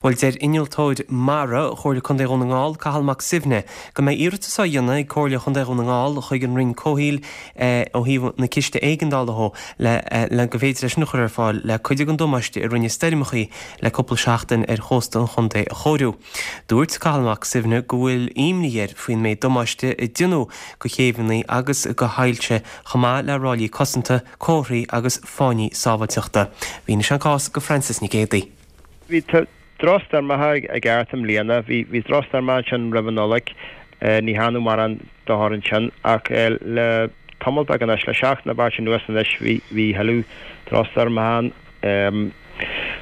Bhuel, deir Innealtóir Mara Chomhairle Contae Dhún na nGall, Cathal Mac Suibhne, go mbeidh iarratas á dhéanamh ag Comhairle Chontae Dhún na nGall chuig an Roinn Comhshaoil ó thaobh na ciste éigeandála dhó le le go bhféidir é sin a chur ar fáil le cuid den damáiste a rinne stoirmeachaí le cúpla seachtain ar chósta an chontae a chóiriú. Dúirt Cathal Mac Suibhne go bhfuil imní air faoin méid damáiste a déanadh go chéibheanna agus go haillte chomh maith le ráillí cosanta, comharthaí agus fáinní sábháilteachta. Mhínigh sé an cás go Frances Nic Géadaigh. Bhí drochstoirmeacha ag thart i mbliana. Bhí bhí drochstoirmeacha ansin roimh an Nollaig. Ní dhearnadh mórán dochair ansin ach le tamall beag anois, le seachtain nó beirt anuas anois, bhí bhí thuilleadh drochstoirmeacha ann.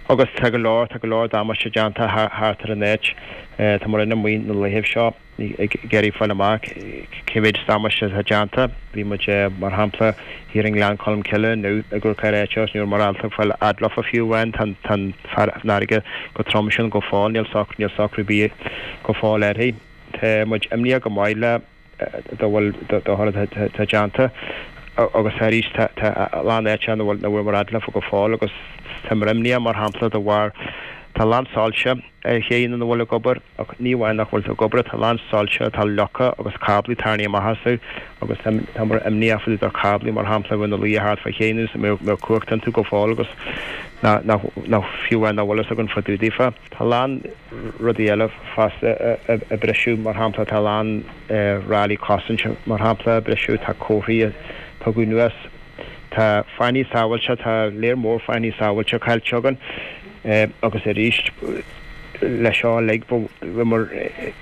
Agus tá go leor, tá go leor damáiste déanta thart ar an áit. Tá muid amuigh na laethibh seo. ag iarraidh fáil amach cé mhéid damáiste atá déanta. Bhí muid, mar shampla, thiar i nGleann Cholm Cille inniu ag amharc ar áit agus ní raibh muid ábalta fáil fhad leofa fiú amháin. Tá an fharraige chomh trom sin go fóill, níl níl socrú ar bith go fóill uirthi. Tá muid imníoch go maith le dá bhfuil dochar atá déanta agus arís tá a lán áiteacha nach bhfuil nach bhfuair muid fhad leofa go fóill agus tá muid imníoch mar shampla de bharr tá a lán soilse ar chéanna nach bhfuil ag obair, ach ní amháin nach bhfuil ag obair, tá a lán soilse atá leagtha agus cáblaí tarraingthe amach astu agus táimid imníoch fá dtaobh de cáblaí, mar shampla, a bheith ina luí thart fá chéanna agus a mbeadh cumhacht iontu go fóill agus nach fiú amháin nach bhfuil fhios againn fá dtaobh daofa. Tá a lán rudaí eile fosta a briseadh, mar shampla, tá a lán ráillí cosainte, mar shampla, a briseadh, tá comharthaí a tugadh anuas, tá fáinní sábháilte, tá léar mór fáinní sábháilte caillte againn. Agus arís, leis seo uilig, bhíomar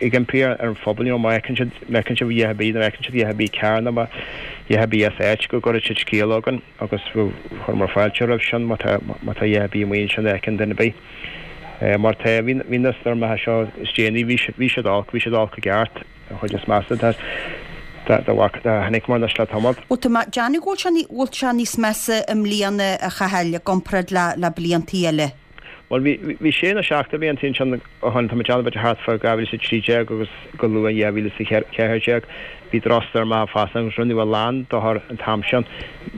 ag impí ar an phobal, you know, má fheiceann siad, má fheiceann siad a dhath ar bith, nó má fheiceann siad a dhath ar bith cearr nó a dhath ar bith as áit, go gcuirfidh siad scéala chugainn agus chuireamar fáilte roimh sin má tá, má tá a dhath ar bith amuigh ansin a fheiceann duine ar bith. Mar tá, bhí, bhí na stoirmeacha seo is déanaí, bhí siad, bhí siad olc, bhí siad olc i gceart. An chuid is measa dá bhfaca, chonaic muid anois le tamall. Bhuel tá mé ag déanamh go bhfuil sé níos measa i mbliana a Chathail i gcomparáid le bliantaí eile. Bhuel bhí bhí sé nó seacht de bhliantaí ansin ó shin, tá mé ag déanamh b'fhéidir thart fá 2013 agus go luath in 2014 bhí drochstoirmeacha fosta agus rinneadh a lán dochair an t-am sin.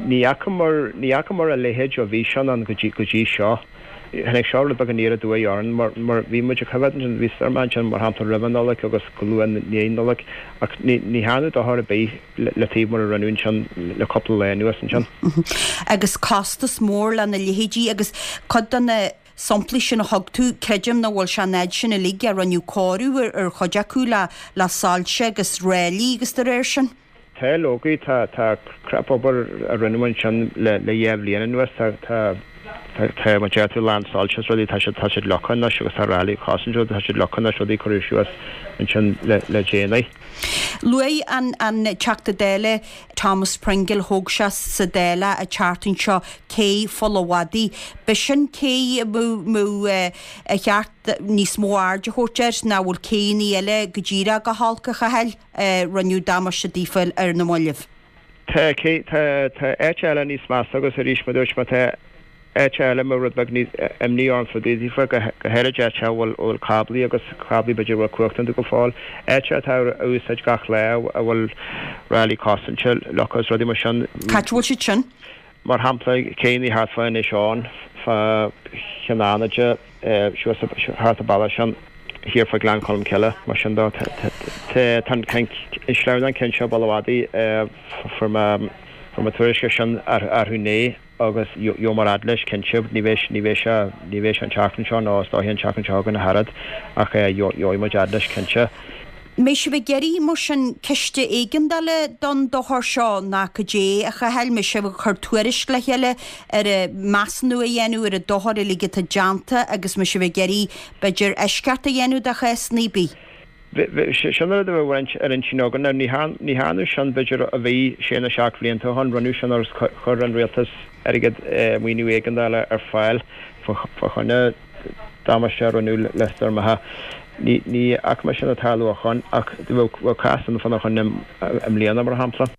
Ní fhacamar ní fhacamar a leithéid ó bhí sin ann go dtí go dtí seo. Tháinig seo rud beag aniar aduaidh orainn mar mar bhí muid ag coimhéad ansin, bhí stoirm ansin mar shampla roimh an Nollaig agus go luath i ndiaidh an Nollaig ach ní ní dhearnadh dochar ar bith le le taobh mar a rinneadh ansin le cúpla lá anuas ansin. Agus costas mór lena leithéidí agus cuid de na samplaí sin a thug tú, creidim nach bhfuil sé an fhad sin uilig a rinneadh cóiriú ar ar chuid acu le le soilse agus ráillí agus de réir sin. Tá leoga, tá, tá crap-obair a rinneadh ansin le, le dhá bhliain anuas, tá, tá, tá, tá, mar deir tú, lán soilse is rudaí, tá siad, tá siad leagtha anois agus tá ráillí cosaint rudaí, tá siad leagtha anois, rudaí a cuireadh suas ansin le, le déanaí. Luaigh an, an Teachta Dála Thomas Pringle, thóg sé sa Dáil an tseachtain seo cé Pholl a' Mhadaidh. B'shin cé a mbeadh, mbeadh ar cheart níos mó aird a thabhairt air, nach bhfuil céanna eile go díreach go holc a Chathail? rinneadh damáiste daofa ar na mallaibh. Tá, tá, tá áit eile níos measa agus arís mar dúirt mé tá áit eile a mbeadh rud beag níos imní orm fá dtaobh daofa, go go háirid áit a bhfuil a bhfuil cáblaí agus cáblaí b'fhéidir a bhfuil cumhacht iontu go fóill, áit atá á úsáid gach lá a bhfuil ráillí cosainte leagtha agus rudaí mar sin. Cá bhfuil siad sin? Mar shampla, céanna thart fá Inis Eoghain, fá Chionn Fhánaide, suas thart an bealach sin, thiar fá Ghleann Cholm Cille, mar sin de. Tá an sleamhnán ceann seo, Baile Mhadaidh, fuair mé fuair mé tuairisc air sin orthu inné agus gheobhaidh muid fhad leis, cinnte. Ní bheidh ní bheidh sé ní bheidh sé an tseachtain seo nó is dóiche an tseachtain seo chugainn ach oiread ach gheobhaidh muid fhad leis, cinnte. Mbeidh sibh ag iarraidh, mar sin, ciste éigeandála don dochar seo ná cad é, a Chathail? Mbeidh sibh ag cur tuairisc le chéile ar an measúnú a dhéanamh ar an dochar uilig atá déanta agus mbeidh sibh ag iarraidh, b'fhéidir, eisceacht a dhéanamh do chásanna ar bith? Sin an rud a bheadh ar intinn againn. Now, ní dhearnadh sin, b'fhéidir, a bhí sé nó seacht bhlianta ó shin. Rinneadh sin agus chuir an rialtas airgead, maoiniú éigeandála ar fáil fá choinne damáiste a rinneadh le stoirmeacha. Ní fhaca mé sin ag tarlú ó shoin ach bheadh cás ann fána choinne i mbliana, mar shampla.